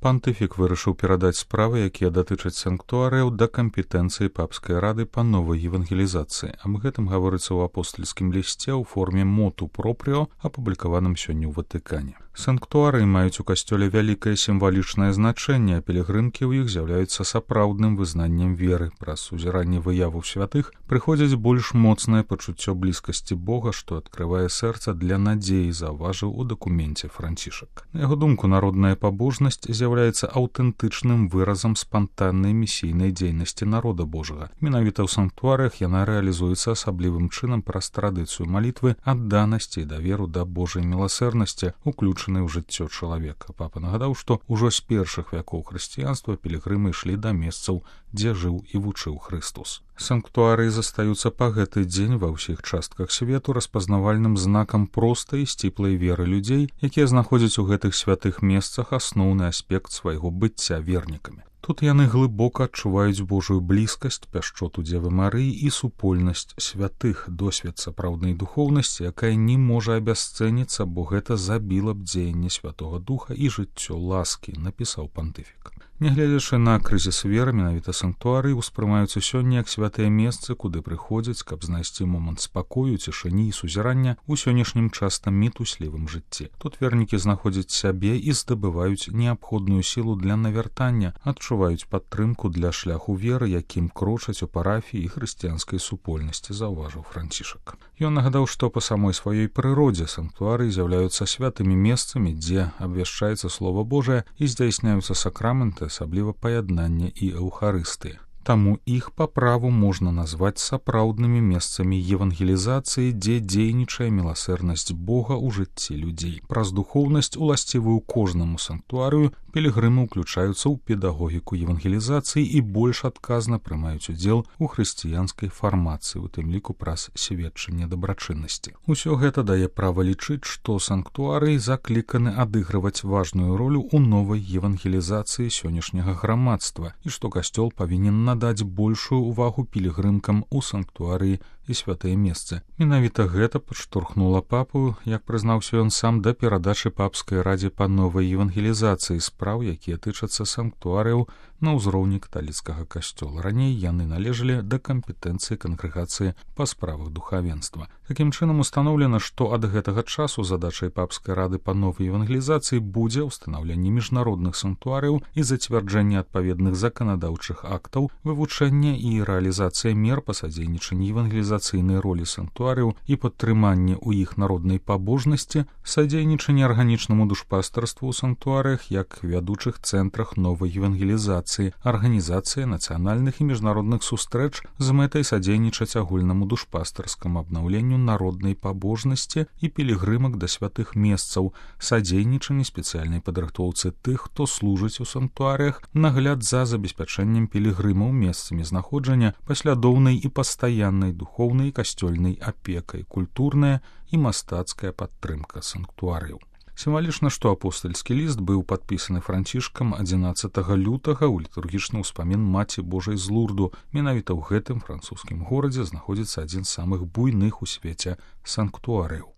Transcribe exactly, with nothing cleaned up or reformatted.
Пантыфік вырашыў перадаць справы, якія датычаць санктуарыяў, да кампетэнцыі папскай рады па новай евангелізацыі. Аб гэтым гаворыцца ў апостальскім лісце ў форме моту пропріо, апублікаваным сёння ў Ватыкане. Санктуарыі маюць у касцёле вялікае сімвалічнае значэнне, а пілігрымкі ў іх з'яўляюцца сапраўдным вызнаннем веры. Праз сузіранне выяваў святых прыходзіць больш моцнае пачуццё блізкасці Бога, што адкрывае сэрца для надзеі, заўважыў у дакуменце Францішак. На яго думку, народная пабожнасць з'яўляецца аўтэнтычным выразам спантаннай місійнай дзейнасці народа Божага. Менавіта ў санктуарыях яна рэалізуецца асаблівым чынам праз традыцыю малітвы, адданасці і даверу да Божай міласэрнасці, уключэнай ў жыццё чалавека. Папа нагадаў, што ўжо з першых вякоў хрысціянства пілігрымы ішлі да месцаў, дзе жыў і вучыў Хрыстос. Санктуарыі застаюцца па гэты дзень ва ўсіх частках свету распазнавальным знакам простай і сціплай веры людзей, якія знаходзяць у гэтых святых месцах асноўны аспект свайго быцця вернікамі. Тут яны глыбока адчуваюць Божую блізкасць, пяшчоту Дзевы Марыі і супольнасць святых, досвед сапраўднай духоўнасці, якая не можа абясцэніцца, бо гэта забіла б дзеянне Святога Духа і жыццё ласкі, напісаў пантыфік. Нягледзячы на крызіс веры, менавіта санктуарыі ўспрымаюцца сёння як святыя месцы, куды прыходзяць, каб знайсці момант спакою, цішыні і сузірання ў сённяшнім часта мітуслівым жыцці. Тут вернікі знаходзяць сябе і здабываюць неабходную сілу для навяртання, адчуваюць падтрымку для шляху веры, якім крочаць у парафіі і хрысціянскай супольнасці, заўважыў Францішак. Ён нагадаў, што па самой сваёй прыродзе санктуарыі з'яўляюцца святымі месцамі, дзе абвяшчаецца Слова Божае і здзяйсняюцца сакраменты, асабліва паяднання і эўхарыстыі. Таму іх па праву можна назваць сапраўднымі месцамі евангелізацыі, дзе дзейнічае міласэрнасць Бога ў жыцці людзей. Праз духоўнасць, уласцівую кожнаму санктуарыю, пілігрымы ўключаюцца ў педагогіку евангелізацыі і больш адказна прымаюць удзел у хрысціянскай фармацыі, у тым ліку праз сведчанне дабрачыннасці. Усё гэта дае права лічыць, што санктуарыі закліканы адыгрываць важную ролю ў новай евангелізацыі сённяшняга грамадства і што касцёл павінен надаць большую ўвагу пілігрымкам у санктуарыі і святыя месцы. Менавіта гэта падштурхнула папу, як прызнаўся ён сам, да перадачы папскай радзе па новай евангелізацыі спраў, якія тычацца санктуарыяў на ўзроўні каталіцкага касцёла. Раней яны належалі да кампетэнцыі кангрэгацыі па справах духавенства. Такім чынам устаноўлена, што ад гэтага часу задачай папскай рады па новай евангелізацыі будзе ўстанаўленне міжнародных санктуарыяў і зацвярджэнне адпаведных заканадаўчых актаў, вывучэнне і рэалізацыя мер па садзейнічанні евангелізацыйнай ролі санктуарыяў і падтрыманне ў іх народнай пабожнасці, садзейнічанне арганічнаму душпастарству ў санктуарыях як вядучых цэнтрах новай евангелізацыі, арганізацыя нацыянальных і міжнародных сустрэч з мэтай садзейнічаць агульнаму душпастарскаму абнаўленню народнай пабожнасці і пілігрымак да святых месцаў, садзейнічанне спецыяльнай падрыхтоўцы тых, хто служыць у санктуарыях, нагляд за забеспячэннем пілігрымаў месцамі знаходжання, паслядоўнай і пастаяннай духоўнай і касцёльнай апекай, культурная і мастацкая падтрымка санктуарыяў. Сімвалічна, што апостальскі ліст быў падпісаны Францішкам адзінаццатага лютага ў літургічны ўспамін Маці Божай з Лурду. Менавіта ў гэтым французскім горадзе знаходзіцца адзін з самых буйных у свеце санктуарыяў.